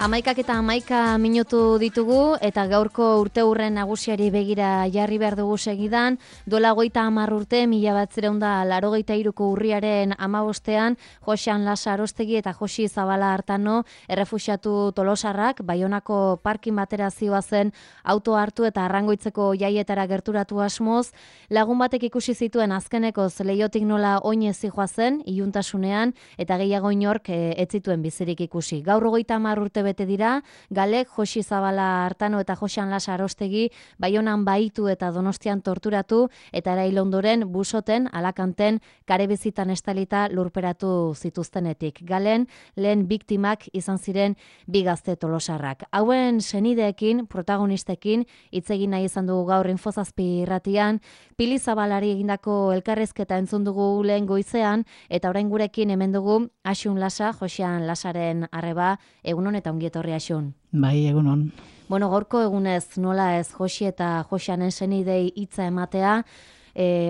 Hamaikak eta 11 minutu ditugu eta gaurko urteurren nagusiari begira jarri behar dugu segidan. Duela 30 urte, 1983ko urriaren 15ean, Joxean Lasa Arostegi eta Joxi Zabala Artano errefuxiatu tolosarrak Baionako parkin batera zihoazen auto hartu eta Arrangoitzeko jaietara gerturatu asmoz. Lagun batek ikusi zituen azkenekoz leihotik nola oinez zihoazen, iluntasunean, eta gehiago inork ez zituen bizirik ikusi. Gaur 30 urte bete dira, Galek, Joxi Zabala Artano eta Joxean Lasa Arostegi Baionan baitu eta Donostian torturatu eta erail ondoren busoten, Alakanten, karebizitan estalita lurperatu zituztenetik. Galen, lehen biktimak izan ziren bi gazte tolosarrak. Hauen senideekin, protagonistekin, hitz egin nahi izan dugu gaur Infozazpi irratian, Pili Zabalari egindako elkarrezketa entzun dugu lehen goizean, eta orain gurekin hemen dugu Asun Lasa, Joxean Lasaren arreba, egunon eta ongi etorri Asun. Bai, egunon. Bueno, gaurko egunez nola ez Joxi eta Joxeanen senidei hitza ematea,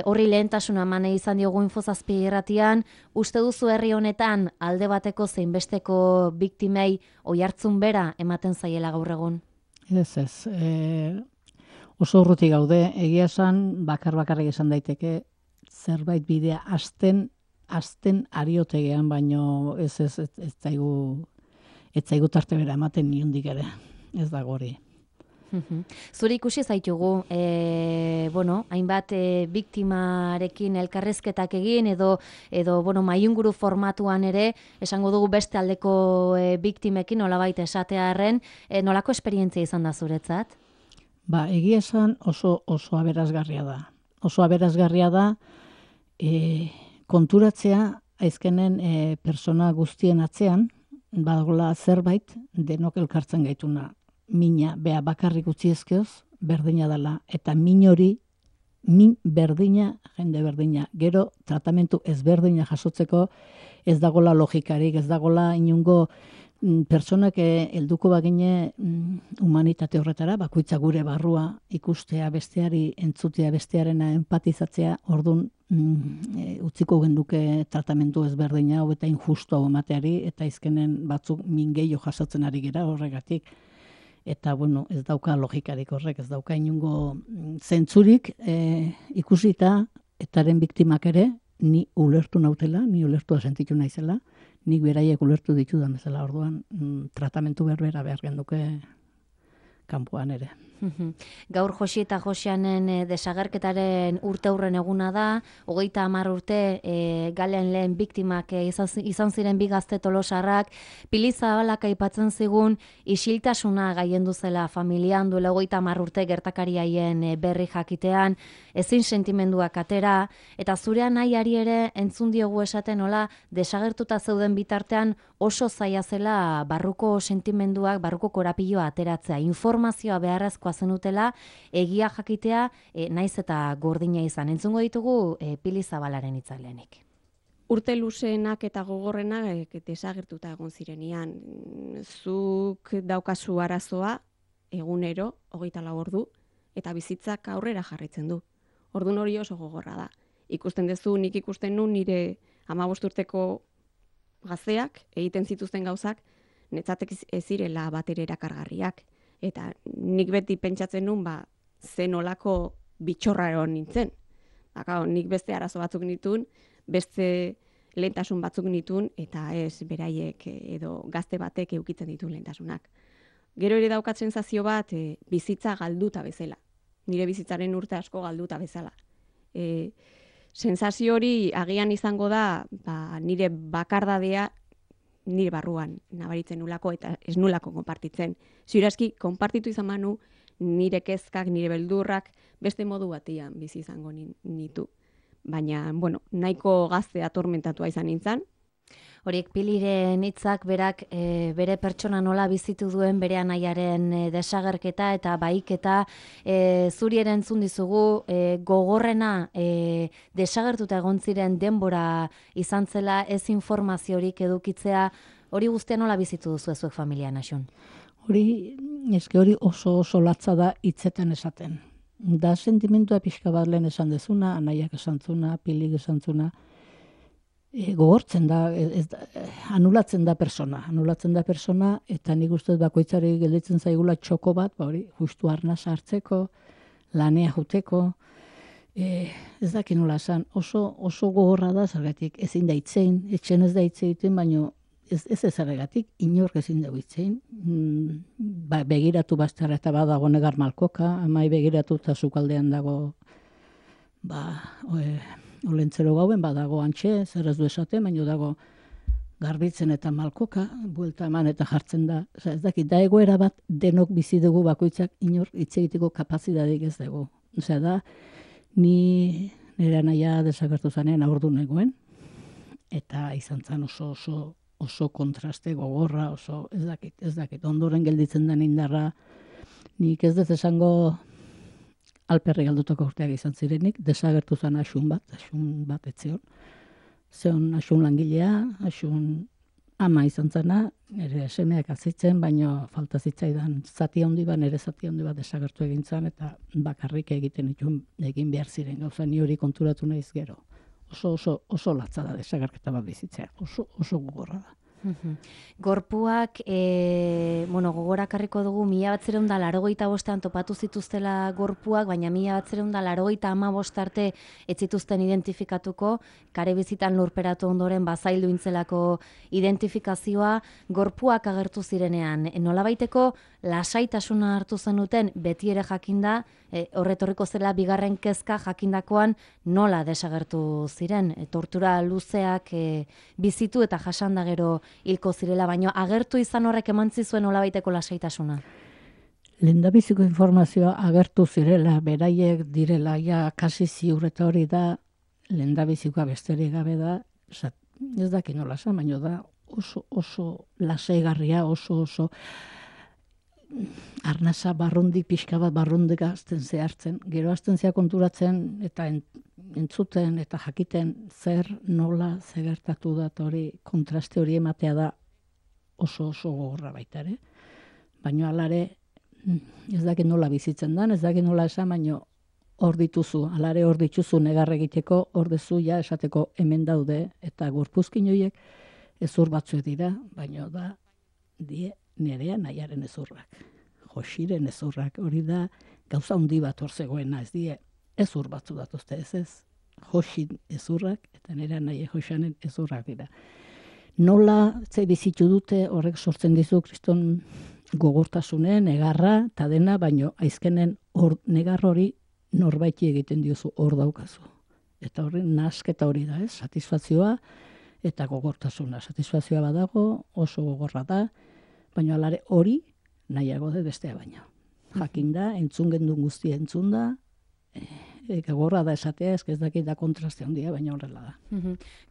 horri lehentasuna mane izan diogu Infozazpi irratian, uste duzu herri honetan alde bateko zein besteko biktimei oihartzun bera ematen zaiela gaur egun? Ez. Oso urruti gaude, egia esan bakarrik esan daiteke zerbait bidea azten ariotegean, baino ez zaigu tarte bera ematen niundik ere, ez dago hori. Zuri ikusi zaitugu, hainbat biktimarekin elkarrezketak egin edo maiunguru formatuan ere, esango dugu beste aldeko biktimekin nolabait esatearren, nolako esperientzia izan da zuretzat? Egia esan oso aberasgarria da. Oso aberasgarria da konturatzea aizkenen persona guztien atzean, badagoela zerbait denok elkartzen gaituna. Mina, bea bakarrik utzi ezkeoz, berdina dela. Eta min hori, min berdina, jende berdina. Gero, tratamentu ezberdina jasotzeko ez dagola logikarik, ez dagola inungo personak helduko bagine humanitate horretara, bakoitza gure barrua ikustea besteari, entzutea bestearena empatizatzea, orduan utziko genduke tratamentu ezberdina hau eta injustu hau emateari, eta izkenen batzuk min gehiago jasotzen ari gera horregatik. Eta, ez dauka logikarik horrek, ez dauka inungo zentzurik ikusita, etaren biktimak ere, ni ulertu nautela, ni ulertua sentitu naizela, nik beraiek ulertu ditudan bezala, orduan tratamentu berbera behar genduke kanpoan ere. Gaur Joxi eta Joxeanen desagerketaren urteurren eguna da, 30 urte Galen lehen biktimak izan ziren bi gazte tolosarrak, Pili Zabalak aipatzen zigun isiltasuna gaiendu zela familian duela 30 urte gertakari haien berri jakitean, ezin sentimenduak atera, eta zure nahiari ere entzun diogu esaten nola desagertuta zeuden bitartean oso zaila zela barruko sentimenduak, barruko korapiloa ateratzea, informazioa beharrezkoa zenutela, egia jakitea, naiz eta gordina izan. Entzungo ditugu Pili Zabalaren hitzalenik. Urte luzeenak eta gogorrenak desagertuta egon zirenean. Zuk daukazu arazoa egunero, 24 ordu, eta bizitzak aurrera jarraitzen du. Ordun hori oso gogorra da. Ikusten duzu, nik ikusten nun nire 15 urteko gazteak egiten zituzten gauzak, netzatek ez zirela batere erakargarriak. Eta nik beti pentsatzen nun, zen olako bitxorraro nintzen. Nik beste arazo batzuk nituen, beste lehentasun batzuk nituen, eta ez beraiek edo gazte batek eukitzen dituen lehentasunak. Gero ere daukat sentsazio bat, bizitza galduta bezala. Nire bizitzaren urte asko galduta bezala. Sentsazio hori agian izango da, nire bakardadea nire barruan nabaritzen nulako eta ez nulako konpartitzen. Ziurazki, konpartitu izan manu, nire kezkak, nire beldurrak, beste modu batean bizi izango nitu. Baina, nahiko gazte atormentatua izan nintzen. Horiek Piliren hitzak berak bere pertsona nola bizitu duen bere anaiaren desagerketa eta baiketa zuri ere entzun dizugu gogorrena desagertuta egon ziren denbora izan zela ez informaziorik edukitzea, hori guztia nola bizitu duzu zuek familian, Asun? hori oso latza da hitzetan esaten. Da sentimentua pixka bat lehen esan dezuna, anaiak esan zuna, pilik esan zuna, gogortzen da, anulatzen da persona, eta nik uste bakoitzari gelditzen zaigula txoko bat, justu arnaz hartzeko, lanea juteko, ez dakit nola esan, oso gogorra da, zergatik ezin da itzein, etxen ez da itzeiten, baino ez zergatik, inork ezin da itzein, begiratu bastara eta badago negar malkoka, amai begiratu eta zukaldean dago, olentzero gauen, badago antxe, zer ez du esaten, baino dago garbitzen eta malkoka, buelta eman eta jartzen da, ez dakit, da egoera bat denok bizi dugu bakoitzak inor hitz egiteko kapazidadeik ez dugu. Osea da, ni nire anaia desagertu zanean aurdu negoen, eta izan zen oso kontraste gogorra, oso ez dakit, ondoren gelditzen den indarra, nik ez dut esango alperri galdutako urteak izan zirenik, desagertu zen asun bat etzion. Zeon asun langilea, asun ama izan zena, nire semeak azitzen, baino falta zitzaidan zati handi bat, nire zati handi bat desagertu egin zen, eta bakarrik egiten egin behar ziren, gauza ni hori konturatu nahiz gero. Oso latza da desagerketa bat bizitzea, oso gogorra da. Gorpuak, gogorakarriko dugu 1985an topatu zituztela gorpuak, baina 1985 arte ez zituzten identifikatuko, kare bizitan lurperatu ondoren bazaildu intzelako identifikazioa, gorpuak agertu zirenean. Nolabaiteko lasaitasuna hartu zenuten beti ere jakinda, horretorriko zela bigarren kezka jakindakoan nola desagertu ziren. Tortura luzeak bizitu eta jasanda gero hilko zirela, baino agertu izan horrek emantzi zuen nolabaiteko lasaitasuna. Lehendabiziko informazioa agertu zirela, beraiek direla, ja kasi ziur eta hori da, lehendabizikoa besterik gabe da, ez dakit nola esan, baino da oso lasaigarria, oso arnasa barrundik, pixka bat barrundik azten zehartzen. Gero azten zea konturatzen eta entzuten eta jakiten zer nola zegertatu da hori kontraste hori ematea da oso gogorra baita ere. Baina alare ez dakit nola bizitzen dan, ez dakit nola esan, baino hor dituzu, alare hor dituzu negar egiteko, hor dezu ja esateko hemen daude eta gorpuzkin horiek ezur batzuek dira, baino da die nerea nahiaren ezurrak. Josiren ezurrak, hori da gauza handi bat hor zegoena, ez die ezur batzu datuzte, ez Josin ezurrak eta nerea nahi Josanen ezurrak dira. Nola ze bizitu dute horrek sortzen dizu kriston gogortasunen, negarra eta dena, baino aizkenen negar hori norbaiti egiten diozu hor daukazu. Eta horren nasketa hori da, satisfazioa eta gogortasuna. Satisfazioa badago, oso gogorra da, baina alare hori nahiago da bestea baino. Jakinda, entzun gendun guztia entzun da, gogorra da esatea, ez dakit da kontraste handia, baina horrela da.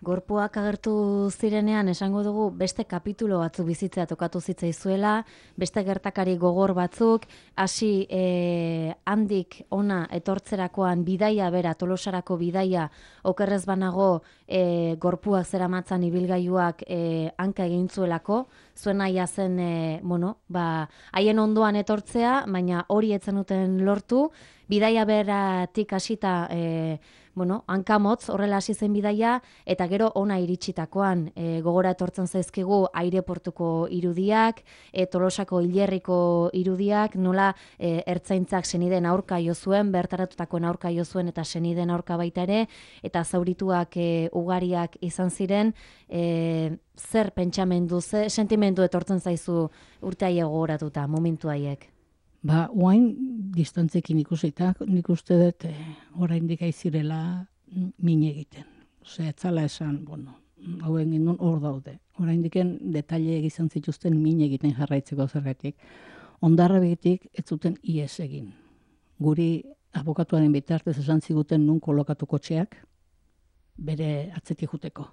Gorpuak agertu zirenean, esango dugu, beste kapitulo batzuk bizitzea tokatu zitzaizuela, beste gertakari gogor batzuk, hasi handik ona etortzerakoan bidaia bera, Tolosarako bidaia, okerrez banago gorpuak zeramatzan ibilgailuak hanka egin zuelako, zuen naia zen, haien ondoan etortzea, baina hori ez zenuten lortu, bidaia beratik hasita, hankamotz, horrela hasi zen bidaia, eta gero ona iritsitakoan gogora etortzen zaizkigu aireportuko irudiak, Tolosako hilerriko irudiak, nola ertzaintzak senideen aurka jo zuen, bertaratutako aurka jo zuen eta senideen aurka baita ere, eta zaurituak ugariak izan ziren, zer pentsamendu, ze sentimendu etortzen zaizu urte haiek gogoratuta, momentu haiek? Oain distantzekin ikusita, nik uste dut oraindik aizirela min egiten. Osea, etzala esan, hauen gindun hor daude. Oraindiken detaile izan zituzten min egiten jarraitzeko zergatik. Ondarra begitik ez zuten ies egin. Guri abokatuaren bitartez esan ziguten nun kolokatu kotxeak, bere atzetik juteko.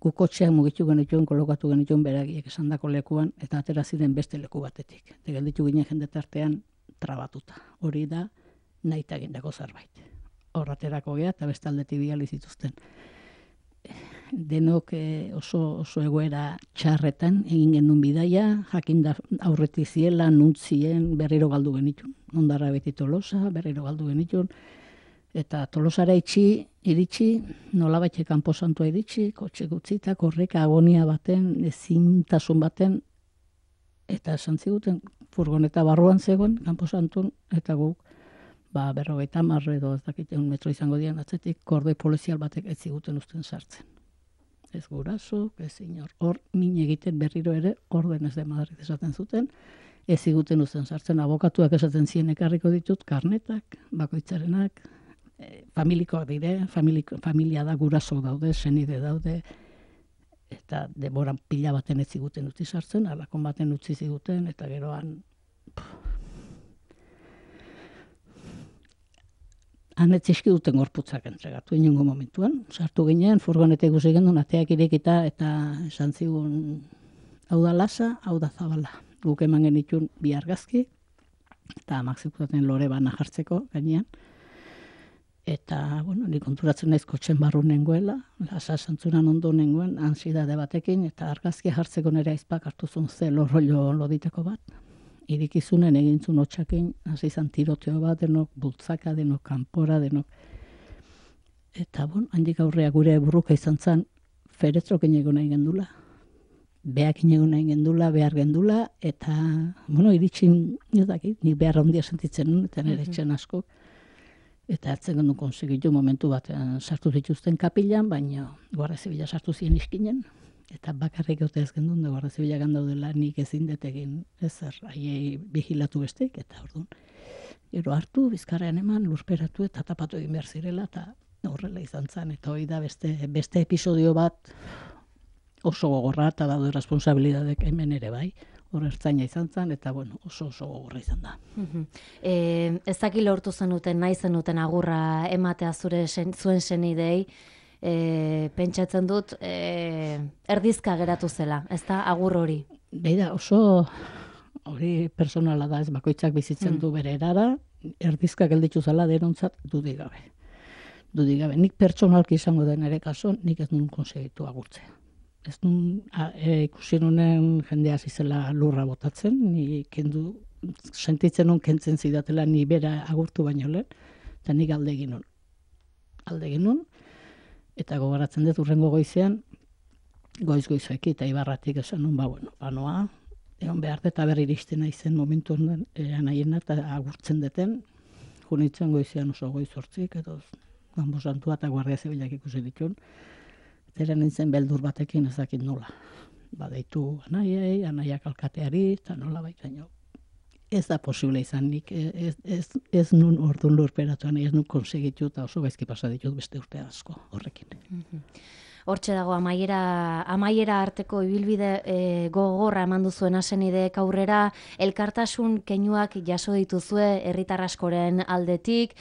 Gu kotxeak mugitu genituen, kolokatu genituen beragiek esandako lekuan, eta atera ziren beste leku batetik. Gelditu ginen jendetartean trabatuta. Hori da nahita egindako zerbait. Hor aterako gea eta bestaldetik biali zituzten. denok oso egoera txarretan egin genuen bidaia, jakin da aurretik ziela, nuntzien, berriro galdu genitun. Ondarra beti Tolosa, berriro galdu genitun. Eta Tolosara iritsi, nolabait kanpo santua iritsi, kotxe gutzita, korreka agonia baten, ezintasun baten, eta esan ziguten, furgoneta barruan zegoen, kanpo santun, eta guk, 50 edo ez dakit 1 metro izango dian atzetik, korde polizial batek ez ziguten usten sartzen. Ez guraso, ez inor. Hor, min egiten berriro ere, orden ez de Madrid esaten zuten, ez ziguten usten sartzen, abokatuak esaten zien ekarriko ditut, karnetak, bakoitzarenak, familikoak dire, familia da guraso daude, senide daude, eta denboran pila baten ez ziguten utzi sartzen, alakon baten utzi ziguten, eta geroan han etzizki duten gorputzak entregatu inongo momentuan. Sartu ginen, furgonete ikusi gendun, ateak irekita, eta esan zigun, hau da lasa, hau da zabala. Guk eman genitun 2 argazki, eta amak zikutaten lore bana jartzeko gainean. Eta, ni konturatzen naiz kotxen barru nengoela, lasa santzunan ondo nengoen, ansiedade batekin, eta argazki jartzeko nire aizpak hartu zuen ze lorrollo loditeko bat. Irikizunen egintzun hotxakin, hasi izan tiroteo bat, denok bultzaka, denok kanpora, denok. Eta, handik aurrea gure burruka izan zen, feretzroken egon nahi gendula. Beakin egon nahi gendula, behar gendula, eta, iritsin, nik behar handia sentitzen nun, eta nire etxen asko. Eta hartzen gendu konsegitu momentu batean sartu zituzten kapilan, baina Guardia Zibila sartu ziren iskinen, eta bakarrik gote ez gendun, Guardia Zibila gandaudela nik ezin detegin ezer, haiei vigilatu bestek, eta orduan. Gero hartu, bizkarrean eman, lurperatu eta tapatu egin behar zirela, eta horrela izan zen, eta hori da beste episodio bat oso gogorra, eta daude responsabilidadek hemen ere bai, hor ertzaina izan zen, eta oso gogorra izan da. Ez daki lortu zenuten, nahi zenuten agurra ematea zuen senidei, pentsatzen dut, erdizka geratu zela, ez da agur hori? Beida, oso hori personala da, ez bakoitzak bizitzen du bere erara, erdizka gelditu zela denontzat dudik gabe. Dudik gabe, nik pertsonalki izango den ere kaso, nik ez nun konsegitu agurtzea. Ez nun ikusi nunen jendea zizela lurra botatzen, ni sentitzen nun kentzen zidatela ni bera agurtu baino lehen, eta nik alde egin nun, eta gogoratzen dut urrengo goizean, goiz-goizeki eta ibarratik esan nun, noa, egon behar eta berri iristen naizen momentu honen anaiena eta agurtzen deten, junitzen goizean oso goiz 8, edo Ganbo Santua eta Guardia Zibilak ikusi ditun, eta nintzen beldur batekin ez dakit nola. Badeitu anaiak alkateari, eta nola baitaino. Ez da posible izan nik, ez nun orduan lurperatuan, ez nun konsegitu eta oso gaizki pasa ditut beste urte asko horrekin. Hortxe dago amaiera arteko ibilbide gogorra eman duzuen asenideek aurrera, elkartasun keinuak jaso dituzue herritar askoren aldetik,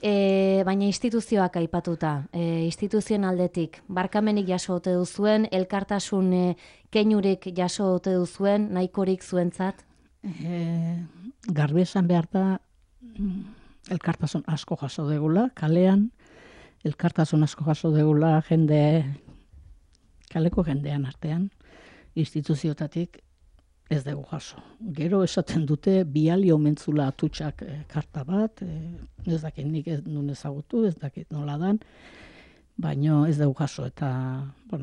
baina instituzioak aipatuta, instituzioen aldetik, barkamenik jaso ote duzuen, elkartasun keinurik jaso ote duzuen, nahikorik zuentzat? Garbi esan behar da, elkartasun asko jaso degula, kalean, elkartasun asko jaso degula kaleko jendean artean, instituziotatik ez dugu jaso. Gero esaten dute biali omentzula atutxak karta bat, ez dakit nik ez nun ezagutu, ez dakit nola dan, baino ez dugu jaso, eta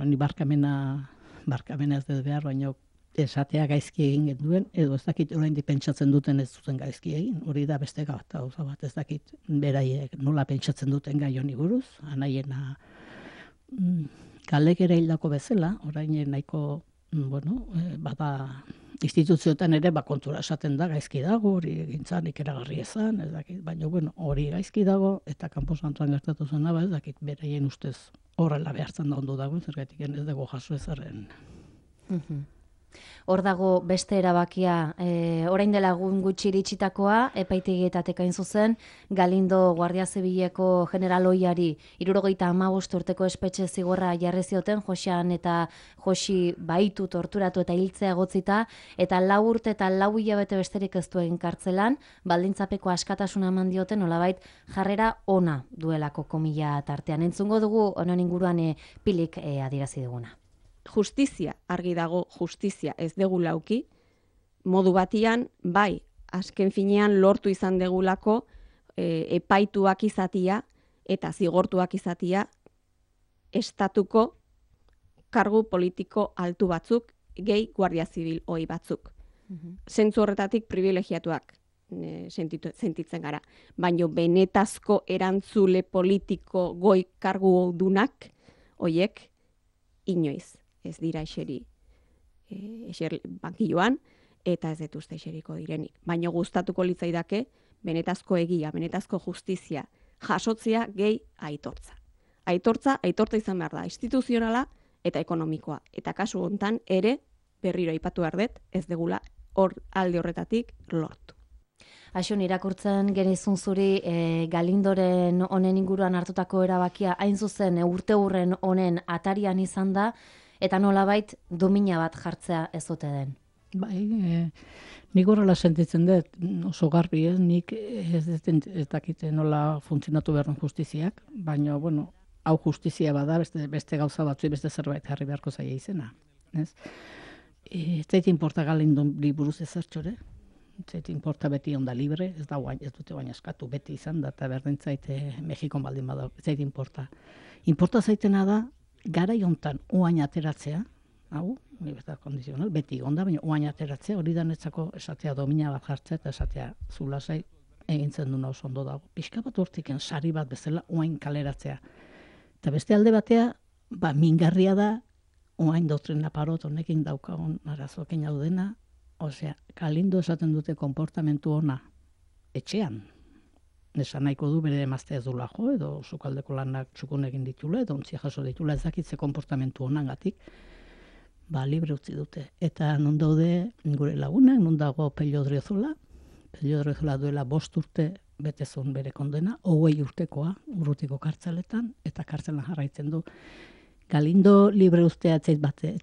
ni barkamena ez dut behar, baino esatea gaizki egin genduen, edo ez dakit oraindik pentsatzen duten ez duten gaizki egin, hori da beste gauza bat, ez dakit beraiek nola pentsatzen duten gai honi buruz, anaiena galek ere hildako bezala, orain nahiko, bada instituzioetan ere kontura esaten da gaizki dago, hori egintzan ikeragarri ezan, ez dakit, baina hori gaizki dago, eta Kanpo Santuan gertatu zen ez dakit beraien ustez horrela behartzen da ondo dago, zergatik ez dago jaso ezaren. Hor dago beste erabakia, orain dela egun gutxi iritsitakoa, epaitegietatek hain zuzen, Galindo Guardia Zibileko general ohiari 75 urteko espetxe zigorra jarri zioten, Joxean eta Joxi baitu torturatu eta hiltzea egotzita, eta 4 urte eta 4 hilabete besterik ez duen kartzelan, baldintzapeko askatasuna eman dioten, nolabait jarrera ona duelako komila tartean. Entzungo dugu honen inguruan pilik adierazi duguna. Justizia, argi dago justizia ez dugu lauki, modu batian, bai, azken finean lortu izan degulako epaituak izatia eta zigortuak izatia estatuko kargu politiko altu batzuk, gehi guardia zibil ohi batzuk. Zentzu horretatik privilegiatuak sentitzen gara. Baina benetazko erantzule politiko goi kargu dunak, hoiek inoiz ez dira eser bankilloan, eta ez detuzte eseriko direnik. Baina gustatuko litzaidake, benetazko egia, benetazko justizia, jasotzea gehi aitortza. Aitortza izan behar da, instituzionala eta ekonomikoa. Eta kasu hontan ere, berriro aipatu behar dut, ez degula alde horretatik lortu. Axun, irakurtzen genizun zuri Galindoren honen inguruan hartutako erabakia hain zuzen urte hurren honen atarian izan da, eta nolabait domina bat jartzea ez ote den. Bai, nik horrela sentitzen dut, oso garbi ez, nik ez dakite nola funtzionatu behar justiziak, baina, bueno, hau justizia bada, beste gauza batzu, beste zerbait jarri beharko zaia izena. Ez zait importa Galindon buruz ezertxore, ez zait importa beti onda libre, ez dute baina eskatu, beti izan da, eta berdin zaite Mexikon baldin bada, ez zait importa. Importa zaitena da, gara jontan uain ateratzea, hau, kondizional, beti onda, baina uain ateratzea, hori da netzako esatea domina bat jartzea, eta esatea zulasai egintzen duna oso ondo dago. Pixka bat hortiken sari bat bezala uain kaleratzea. Eta beste alde batea, mingarria da, uain doktrina parot honekin daukagun arazoekin hau dena, osea, Galindo esaten dute konportamentu ona etxean. Esan nahiko du bere emazte ez dula jo, edo sukaldeko lanak txukun egin ditula, edo ontzia jaso ditula, ez dakitze konportamentu onangatik, libre utzi dute. Eta non daude gure lagunak, non dago Pello Odriozola duela 5 urte betezun bere kondena, 20 urtekoa, Urrutiko kartzeletan, eta kartzelan jarraitzen du. Galindo libre uztea etzait bate,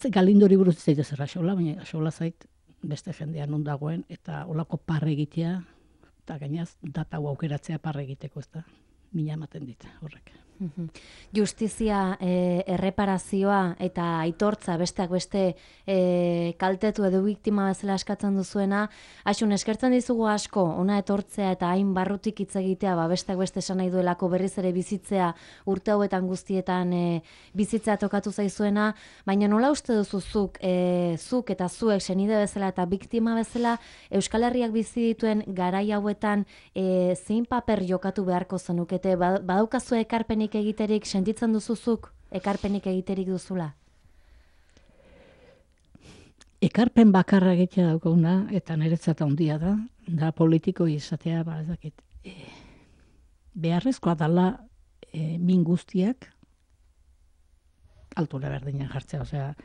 Galindo libre uztea ez zerra xola, baina xola zait beste jendean non dagoen, eta olako parre egitea, eta gainaz, data aukeratzea parre egiteko, ez da, mina ematen dit, horrek. Justizia, erreparazioa eta aitortza besteak beste kaltetu edo biktima bezala eskatzen duzuena, Axun, eskertzen dizugu asko, ona etortzea eta hain barrutik hitz egitea, besteak beste esan nahi duelako berriz ere bizitzea urte hauetan guztietan bizitzea tokatu zaizuena, baina nola uste duzu zuk eta zuek senide bezala eta biktima bezala Euskal Herriak bizi dituen garai hauetan zein paper jokatu beharko zenukete, badaukazu ekarpenik egiterik, sentitzen duzuzuk ekarpenik egiterik duzula? Ekarpen bakarra egitea daukaguna, eta niretzat handia da politiko izatea, ez dakit, beharrezkoa dala min guztiak altura berdinean jartzea, osea,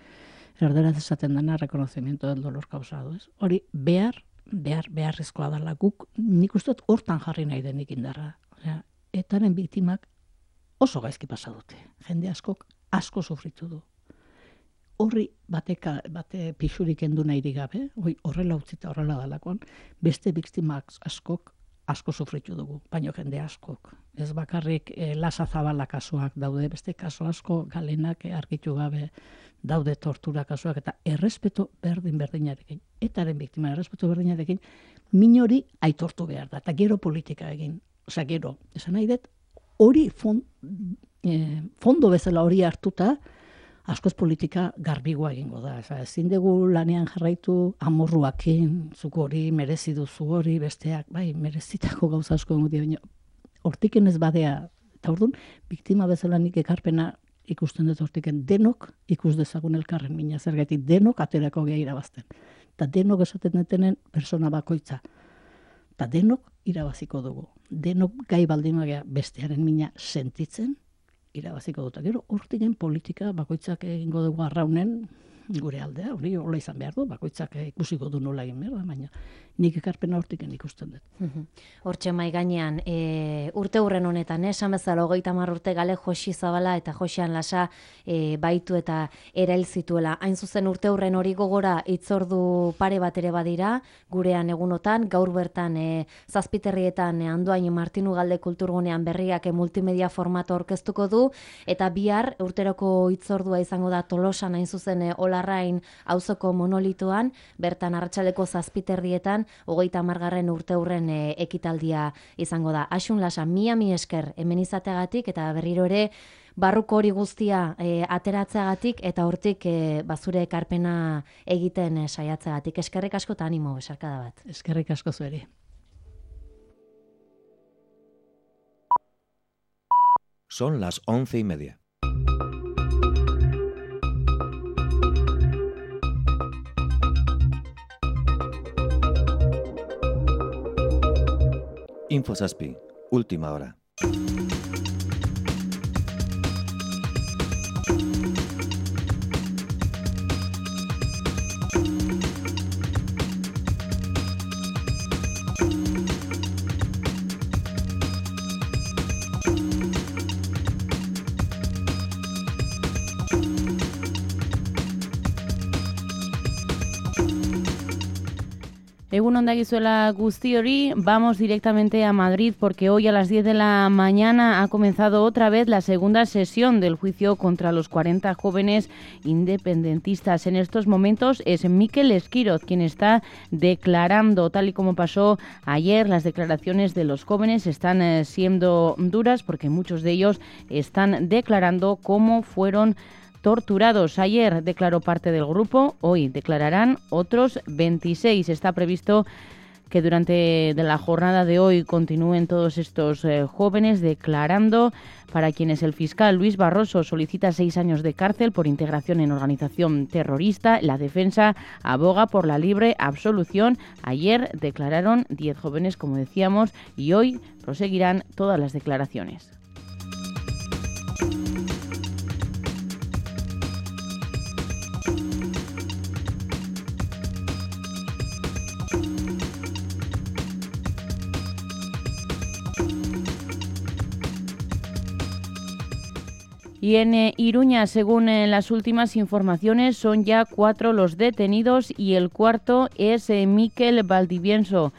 erderaz esaten dena reconocimiento del dolor causado, ez? Hori beharrezkoa dala guk, nik uste hortan jarri nahi denik indarra, osea, etaren biktimak oso gaizki pasa dute. Jende asko sufritu du. Horri bate pixurik endu nahi gabe, horrela utzita horrela dalakoan, beste biktimak asko sufritu dugu, baino jende askok. Ez bakarrik Lasa Zabala kasuak daude, beste kasu asko Galenak argitu gabe daude tortura kasuak, eta errespeto berdinarekin, etaren biktima errespeto berdinarekin, minori aitortu behar da, eta gero politika egin. Osea, gero, esan nahi dut, hori fondo bezala hori hartuta, askoz politika garbigoa egingo da. Ezin dugu lanean jarraitu amorruakin, zuk hori merezi duzu hori, besteak, bai, merezitako gauza asko egon baina hortiken ez badea, eta orduan, biktima bezala nik ekarpena ikusten dut hortiken, denok ikus dezagun elkarren mina, zergatik denok aterako gea irabazten. Eta denok esaten detenen persona bakoitza. Eta denok irabaziko dugu. Denok gai baldin bagea bestearen mina sentitzen, irabaziko dut. Gero hortiken politika bakoitzak egingo dugu arraunen, gure aldea, hori hola izan behar du, bakoitzak ikusiko du nola egin behar da, baina nik ekarpena hortiken ikusten dut. Hortxe mai gainean, urte hurren honetan, esan bezala 30 urte gale Josi Zabala eta Josian Lasa baitu eta erail zituela. Hain zuzen urte hurren hori gogora hitzordu pare bat ere badira, gurean egunotan, gaur bertan Zazpiterrietan Andoain Martinu Galde Kulturgunean berriak multimedia formato aurkeztuko du, eta bihar urteroko hitzordua izango da Tolosan hain zuzen Olarrain auzoko monolitoan, bertan arratsaldeko Zazpiterrietan 30. urte hurren ekitaldia izango da. Asun Lasa, mi esker hemen izateagatik eta berriro ere barruko hori guztia ateratzeagatik eta hortik bazure ekarpena egiten saiatzeagatik. Eskerrik asko eta animo, besarkada bat. Eskerrik asko zueri. Son las 11:30. InfoSaspi, última hora. Egun ondagizuela guzti hori, vamos directamente a Madrid porque hoy a las 10 de la mañana ha comenzado otra vez la segunda sesión del juicio contra los 40 jóvenes independentistas. En estos momentos es Mikel Esquiroz quien está declarando, tal y como pasó ayer. Las declaraciones de los jóvenes están siendo duras porque muchos de ellos están declarando cómo fueron torturados. Ayer declaró parte del grupo, hoy declararán otros 26. Está previsto que durante la jornada de hoy continúen todos estos jóvenes declarando, para quienes el fiscal Luis Barroso solicita 6 años de cárcel por integración en organización terrorista. La defensa aboga por la libre absolución. Ayer declararon 10 jóvenes, como decíamos, y hoy proseguirán todas las declaraciones. Y en Iruña, según las últimas informaciones, son ya 4 los detenidos y el cuarto es Mikel Valdivienso.